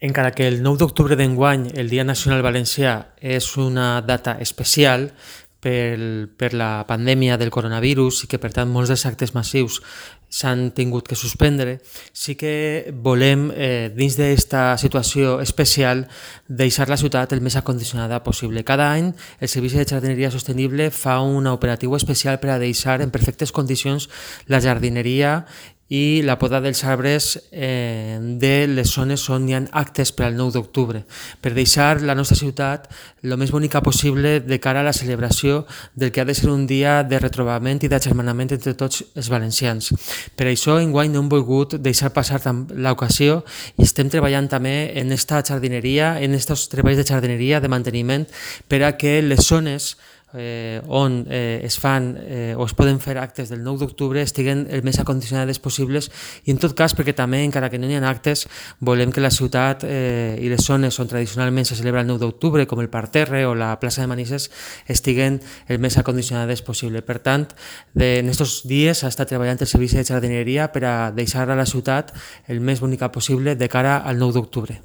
Encara que el 9 d'octubre d'enguany, el Dia Nacional Valencià, és una data especial per la pandèmia del coronavirus i que, per tant, molts dels actes massius s'han tingut que suspendre, sí que volem, dins d'aquesta situació especial, deixar la ciutat el més acondicionada possible. Cada any, el Servici de Jardineria Sostenible fa un operatiu especial per a deixar en perfectes condicions la jardineria i la poda dels arbres de les zones on hi ha actes per al 9 d'octubre, per deixar la nostra ciutat el més bonica possible de cara a la celebració del que ha de ser un dia de retrobament i d'agermanament entre tots els valencians. Per això, enguany no hem volgut deixar passar l'ocasió i estem treballant també en aquesta jardineria, en aquests treballs de jardineria, de manteniment, per a que les zones on es fan o es poden fer actes del 9 d'octubre estiguen el més acondicionades possibles i en tot cas perquè també, encara que no hi ha actes, volem que la ciutat i les zones on tradicionalment se celebra el 9 d'octubre, com el Parterre o la plaça de Manises, estiguen el més acondicionades possible. Per tant, en aquests dies s'ha estat treballant el Servici de Jardineria per a deixar a la ciutat el més bonica possible de cara al 9 d'octubre.